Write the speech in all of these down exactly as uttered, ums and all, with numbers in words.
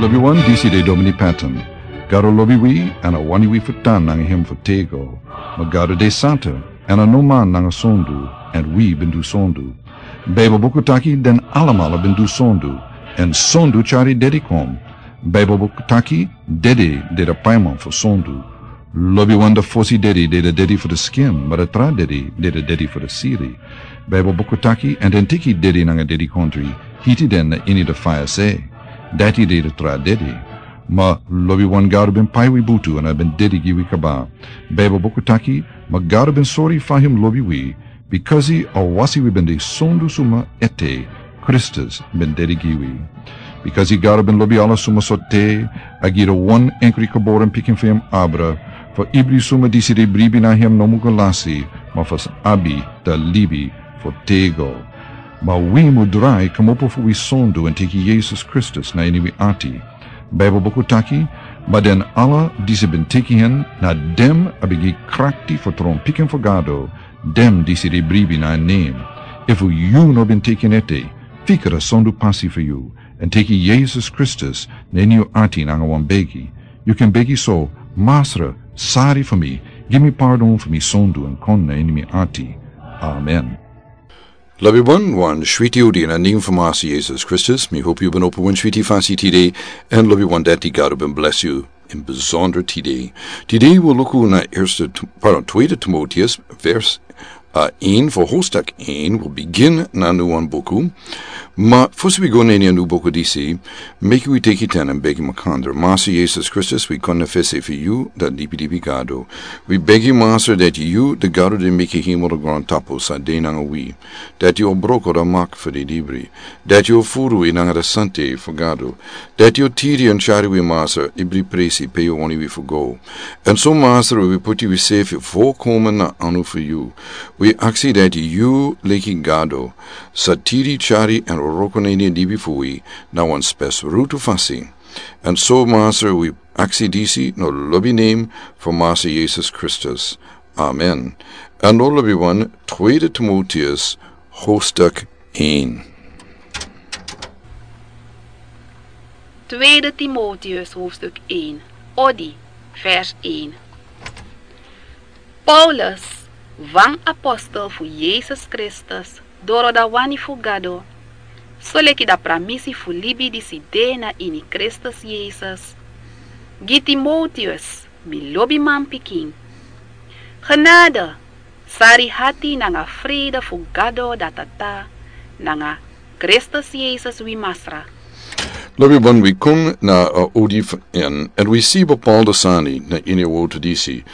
Wi wan disi de Domini Patton. Gado lobi wi, èn a wani wi fu tan nanga hem fu tego. Ma Gado de santa, èn a no man nanga sondu, èn wi ben du sondu. Baibel buku taki den alamala ben du sondu, èn sondu tyari dedi kon. Baibel buku taki dedi de da paiman fu sondu. Lobi wan da fosi dedi de da dedi fu da skin, ma da tra dedi de da dedi fu da siri. Baibel buku taki, èn den teki dedi nanga dedi kontri, hiti den na ini da faya se. Dati de da tra dedi. Ma lobi wan Gado ben pai wi butu èn a ben dedi gi wi kaba. Baibel buku taki, ma Gado ben sori fa hem lobi wi, bikasi a wasi wi ben de sondu suma ete, Kristus ben dedi gi wi. Bikasi Gado ben lobi ala suma so te, a gi da wan enkri geboren pikin fu hem abra, fu ibri suma disi de bribi na hem no mu go lasi, ma fu abi da libi fu tego. Ma wi mu drai kmopo fu wi sondu èn teki Yesus Kristus na ini wi ati. Baibel buku taki, ma den ala disi ben teki hen, na dem a ben gi krakti fu tron pikin fu Gado, dem disi de bribi na en nen. Efu yu no ben teki en ete, fika da sondu pasi fu yu, èn teki Yesus Kristus na ini yu ati nanga wan begi. Yu kan begi so, Masra, sari fu mi, gi mi pardon fu mi sondu èn kon na ini mi ati. Amen. Lobi wan, wan switi odi na nen fu Masa Yesus Kristus, mi hopi yu ben opo wan switi fasi tide, èn lobi wan dati Gado ben bless yu in bizonder tide. Tide wi luku na Eerste T-, pardon, Tweede Timotheus, vers, uh, een, fu hoofdstuk een, wi begin na nu wan buku. Ma fosi wi go na ini a nu buku disi, meki wi teki ten èn begi makandra. Masa Yesus Kristus, wi kon na fesi fu yu, da libi libi Gado. Wi begi Masra dati yu, da Gado di meki hemel da grontapu, sa de nanga wi. Dati yu o broko da mak fu di libri. Dati yu o furu wi nanga da sante fu Gado. Dati yu o tiri èn tyari wi Masra, ibri presi pe yu wani wi fu go. Èn so Masra wi puti wi sefi volkomen na anu fu yu. Wi aksi dati yu leki Gado, sa tiri tyari èn wroko na ini libi fu wi, na wan spesrutu fasi. Èn so Masra wi aksi disi na lobi nen fu Masa Yesus Kristus. Amen. Èn now lobi wan, Tweede Timotheus, hoofdstuk een. Tweede Timotheus, hoofdstuk een. Odi, vers een. Paulus, wan apostel fu Yesus Kristus, doro da wani fu Gado, soleki da pramisi fu libi disi de na ini Kristus Yesus, gi Timotheus, mi lobi manpikin. Genade, sari hati nanga frede fu Gado da Tata, nanga Kristus Yesus wi Masra. Lobi wan, wi kon na, uh, odi fu en, èn wi si bepaalde sani na ini a wortu disi.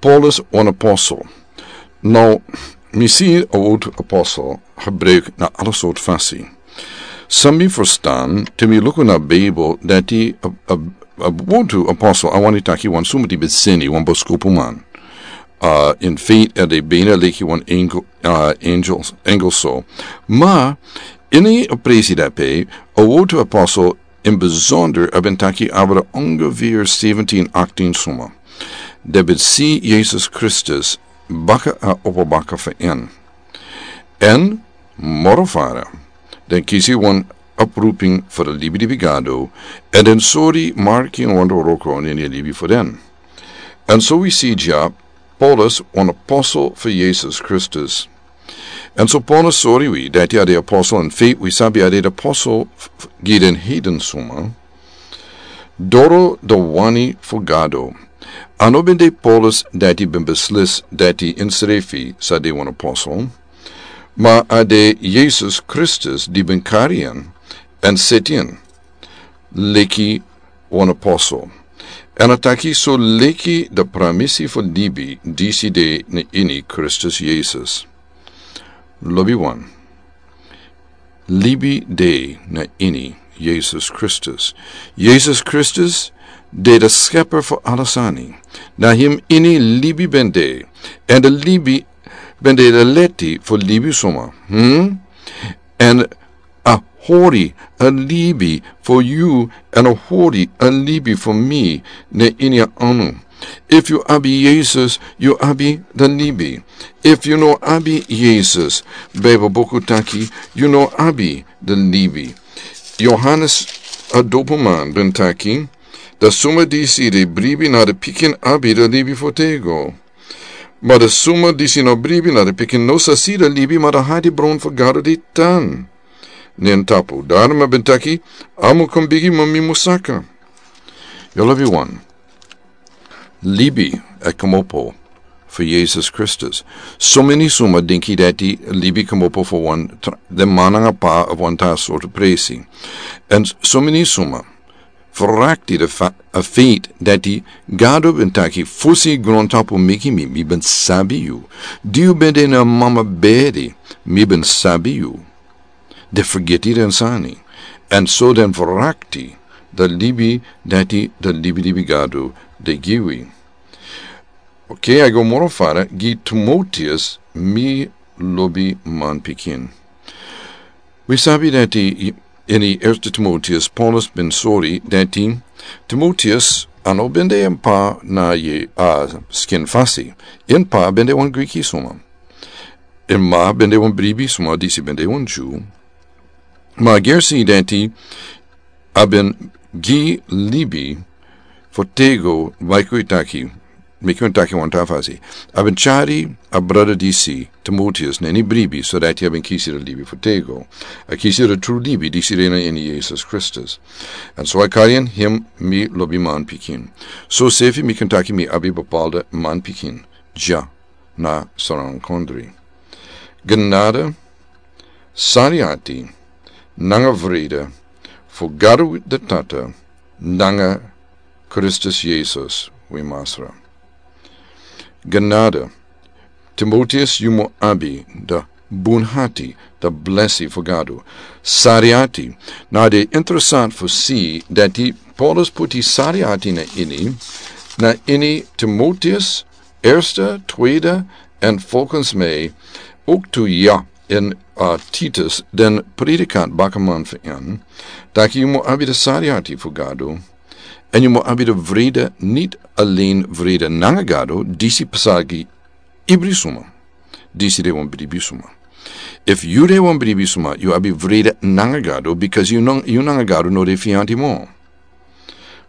Paulus wan apostel. Now, mi si a wortu apostel gebruik na ala sortu fasi. San mi ferstan, te mi luku na Bijbel, dati a, a, a wortu apostel, a wani taki wan suma di ben seni, wan boskopuman. Uh, in feite, a de bijna leki wan engel, uh, angels, engel so. Ma, ini a presi dape, a wortu apostel, in bijzonder, a ben taki abra ongeveer zeventien, achttien suma. Di ben si Yesus Kristus baka a opo baka fu en. Èn, moro fara, den kisi wan oproeping fu di libi libi Gado, èn den sori marki en wan wroko na ini a libi fu den. Èn so wi si dya, Paulus, wan apostel fu Yesus Kristus. Èn so Paulus sori wi, dati a de apostel, in feite wi sabi a de apostel f-, f-, gi den heiden suma. Doro da wani fu Gado. A no ben de Paulus dati ben beslis dati ensrefi sa de wan apostel. Ma a de Yesus Kristus di ben kari en, èn seti en, leki wan apostel. Èn a taki so leki da pramisi fu libi disi de na ini Kristus Yesus. Lobi wan. Libi de na ini Yesus Kristus. Yesus Kristus de da skeper fu ala sani. Na hem ini libi ben de. Èn da libi ben de da leti fu libisma. Hmm? Èn a hori a libi fu yu, èn a hori a libi fu mi, na ini a anu. Efu yu abi Yesus, yu abi da libi. Efu yu no abi Yesus, Bijbel buku taki, yu no abi da libi. Johannes a dopuman ben taki, da suma disi de bribi na de pikin abi de libi fotego. Ma de suma disi no bribi na de pikin no sa si de libi ma de hadi bron fo gado de tan. Nen tapu, darma ben taki, amo kon bigi ma mi musaka. Yo lobi wan. Libi e komopo for Jesus Christus. So many suma dinki dati libi komopo for one, the mananga pa of one ta sort of presi. And so many suma forakti the fa-, a faith dati gado ben taki fusi grontapu miki mi, mi ben sabi you. Diu bende na mama bedi, mi ben sabi you. De forgeti den sani. And so den forakti the libi dati the libi libi gado de giwi. Okay, I go moro fara, gi Timoteus mi lobi man pikin. We sabi dati i-, ini Erste Timoteus, Paulus ben sori dati Timoteus ano bende en pa na ye a skin fasi. En pa bende wan Griki suma. En ma bende wan bribi suma disi bende wan Jew. Ma gersi dati a ben gi libi fotego, maiko itaki, maiko itaki wan ta fasi. A ben chari a brada disi, Timoteus, na ini bribi, so dati a ben kisi de libi fotego. A kisi de tru libi, disi de na ini Jesus Christus. And so a kari en him mi lobi man pikin. So sefi mi kan taki mi abi bapalde man pikin. Ja. Na saran kondri. Genade, sariati, nanga vrede, fu Gado de Tata, nanga Kristus Jesus, wi Masra. Genade, Timoteus yu mu abi de bunhati, de blesi fu Gado. Sariati, na de interessant fu si dati Paulus puti sariati na ini, na ini Timoteus, Erste, tweede, en volgens mij ook toe ja in, uh, Titus, den predikant bakaman fu en, dati yu mu abi de sariati fu Gado, en yu mu abi de vrede, niet alleen vrede nanga Gado, disi pasagi ibri suma, disi de wan bribi suma. If yu de wan bribi suma, yu abi vrede nanga Gado, because yu nang-, yu nanga Gado no de fianti mo.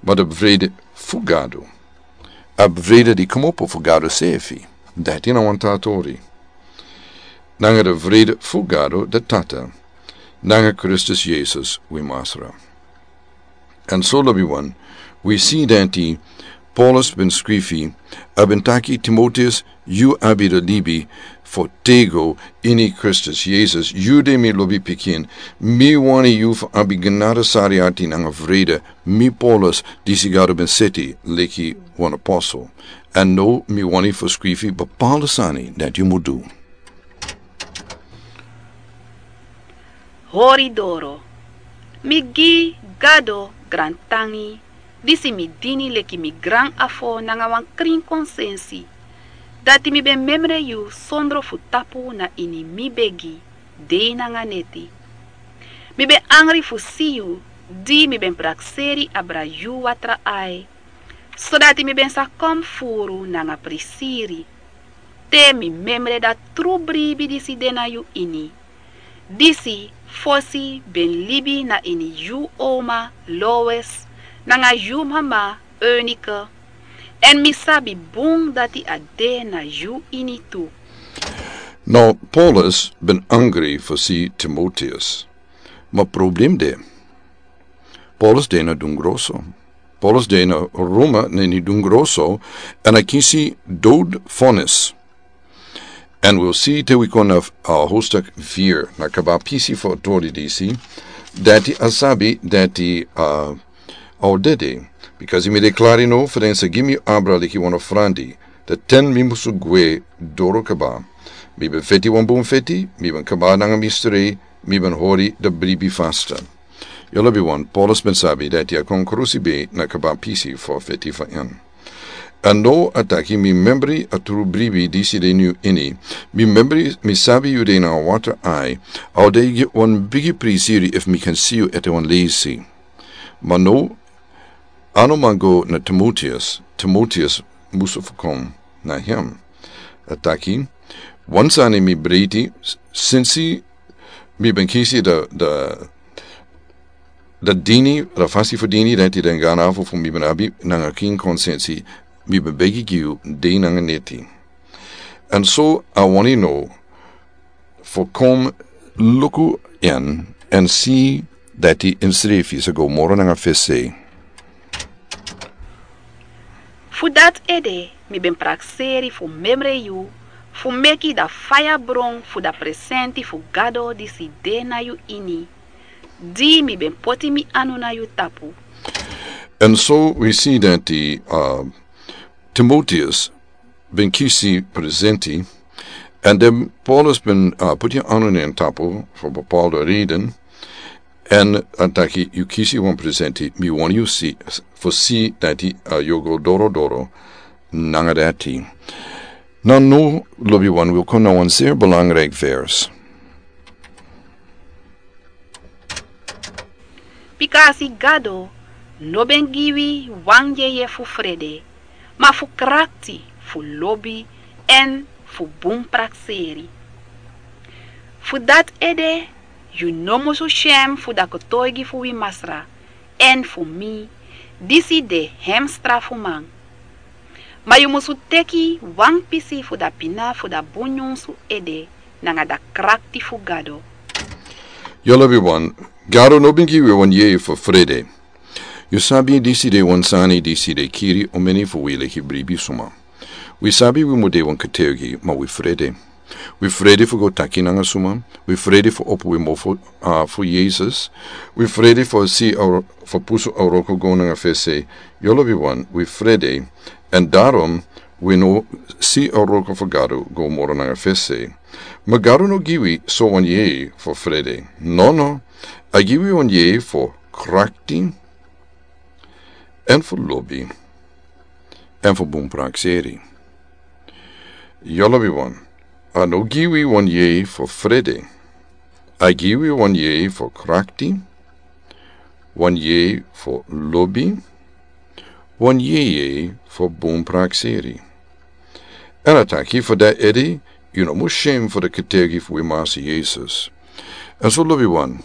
Ma de vrede fu Gado. A vrede di komopo fu Gado sefi. Dati na wan tatori. Nanga de vrede fu Gado de Tata. Nanga Kristus Jesus wi Masra. And so lobi wan, we si dati Paulus ben skrifi, a ben taki Timoteus, yu abi de libi fotego ini Kristus Jesus, yu de mi lobi pikin, mi wani yu fu abi genade sariati nanga vrede, mi Paulus, disi Gado ben seti, leki wan apostel. And no mi wani fu skrifi bapalde sani dati yu mu du. Hori doro. Mi gi Gado grantangi, disi mi dini leki mi gran afo nanga wan krin konsensi. Dati mi ben memre yu sondro fu tapu na ini mi begi, dei nanga neti. Mi ben angri fu si yu, di mi ben prakseri abra yu watra ai. Sodati mi ben sa kon furu nanga prisiri. Te mi memre dati tru bribi disi de na yu ini. Disi fosi ben libi na ini yu oma Lois, nanga yu mama Eunike. En mi sabi bun dati a de na yu ini tu. Now, Paulus ben angri fosi Timoteus. Ma problem de. Paulus de na dungroso. Paulus de na Roma na ini dungroso, en a kisi dood vonnis. En we'll see te we kon na, uh, hoofdstuk vier, na kaba pisi fu a tori disi, dati a sabi, dati, uh, a o dede. Because mi deklari no, fu den sa gi mi abra leki wan ofrandi, de ten mi musu gwe doro kaba. Mi ben feti wan bun feti, mi ben kaba nanga mi strei, mi ben hori de bribi fasta. Yu lobi wan, Paulus ben sabi dati a kon krusi be na kaba pisi fu feti fu en. A no a taki mi membri a tru bribi disi de na yu ini. Mi membri mi sabi yu de na watra ai. A o de wan bigi prisiri efu mi kan si yu ete wan leisi. Ma no, a no man go na Timoteus, Timoteus musu fu kon na hem. A taki, wan sani mi breiti, s-, sinsi mi ben kisi de, de, Da dini, da fasi fu dini, dati den ganafu fu mi ben abi nanga kin konsensi, mi ben begi gi yu dei nanga neti. Èn so a wani no fu kon luku en èn si dati ensrefi sa go moro nanga fesi. Fu dati ede mi ben prakseri fu memre yu, fu meki da faya bron fu da presenti fu Gado disi de na yu ini, di mi ben poti mi anu na yu tapu. Èn so wi si dati, uh, Timoteus ben kisi presenti, èn den Paulus ben, uh, poti anu na en tapu fu bepaalde reden, èn a taki yu kisi wan presenti, mi wani yu si, fu si dati, uh, yu o go doro doro nanga dati. Now now, lobiwan, wi o kon na wan zeer belangrijk vers. Bikasi Gado no ben gi wi wan yeye fu frede, ma fu krakti, fu lobi, èn fu bun prakseri. Fu dati ede, yu no musu syen fu da kotoigi fu wi Masra, èn fu mi, disi de hem strafuman. Ma yu musu teki wan pisi fu da pina fu da bun nyunsu ede nanga da krakti fu Gado. Yu lobiwan, Gado no ben gi wi wan yeye fu frede. Yu sabi disi de wan sani disi de kiri omeni fu wi leki bribi suma. Wi sabi wi mu de wan kotoigi, ma wi frede. Wi frede fu go taki nanga suma. Wi frede fu opo wi mofo, uh, fu Yesus. Wi frede fu si a, fu pusu a wroko go nanga fesi. Yu lobiwan, wi frede. Èn daarom wi no si a wroko fu Gado go moro nanga fesi. Ma Gado no gi wi so wan yeye fu frede. No, no. A gi wi wan yeye fu krakti, èn fu lobi, èn fu bun prakseri. Yu lobiwan, a no gi wi wan yeye fu frede. A gi wi wan yeye fu krakti, wan yeye fu lobi, wan yeye fu bun prakseri. Èn a taki fu dati ede, yu no mus syen fu da kotoigi fu wi Masa Yesus. Èn so lobiwan,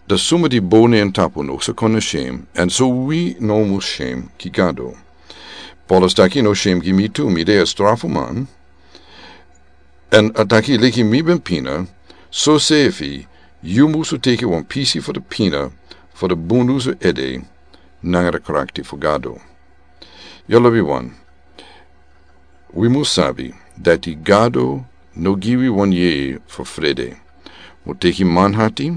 da suma di bo na en tapu no sa kon na syen, èn so wi no mus syen gi Gado. Paulus taki no syen gi mi tu, mi de a strafuman. Èn a taki leki mi ben pina, so sefi, yu musu teki wan pisi fu da pina, fu da bun nyunsu ede, nanga da krakti fu Gado. Yu lobiwan, wi mus sabi dati Gado no gi wi wan yeye fu frede. Mu teki manhati,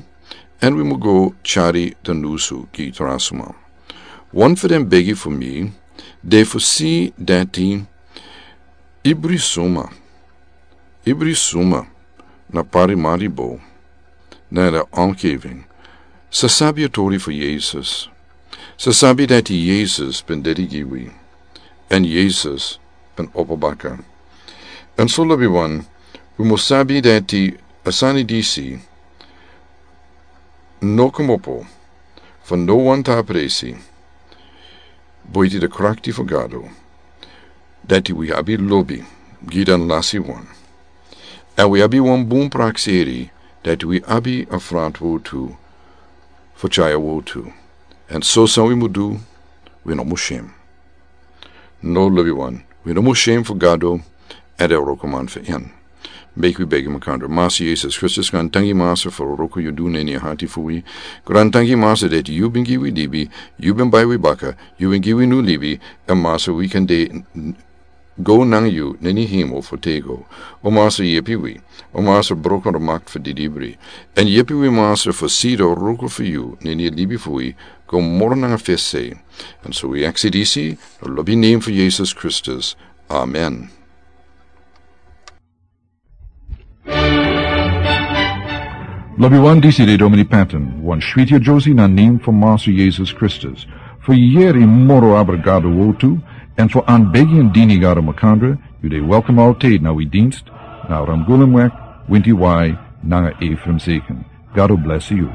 èn wi mu go kari da nyunsu gi tra suma. Wan fu den begi fu mi, de fu si dati ibri suma, ibri suma na Paramaribo, na da omgeving, sa sabi a tori fu Yesus. Sa sabi dati Yesus ben dede gi wi, èn Yesus ben opo baka. Èn so lobiwan, wi mus sabi dati a sani disi no kmopo fu no wan tra presi, buiti da krakti fu Gado, dati wi abi lobi gi den lasiwan. Èn wi abi wan bun prakseri, dati wi abi a frantwortu fu tyari a wortu. Èn so san wi mu du, wi no mus syen. No lobiwan, wi no mus syen fu Gado, èn den wrokoman fu en. Meki wi begi makandra. Masa Yesus Kristus, grantangi Masa fu a wroko yu du na ini a hati fu wi. Grantangi Masa dati yu ben gi wi libi, yu ben bai wi baka, yu ben gi wi nyun libi, èn Masa wi kan de go nanga yu na ini hemel fu tego. O Masa yepi wi, o Masa broko da makti fu didibri. Èn yepi wi Masa fu si da wroko fu yu na ini a libi fu wi go moro nanga fesi. Èn so wi aksi disi na lobi nen fu Yesus Kristus. Amen. Lobiwan, disi de Domini Patton, wan switi adyusi na nen fu Masa Yesus Kristus. Fu yere moro abra Gado wortu, èn fu anbegi èn dini Gado makandra, yu de welkom altijd na wi dienst, na Ramgulumweg, winti wai, nanga Ephraim Zeken. Gado blesi yu.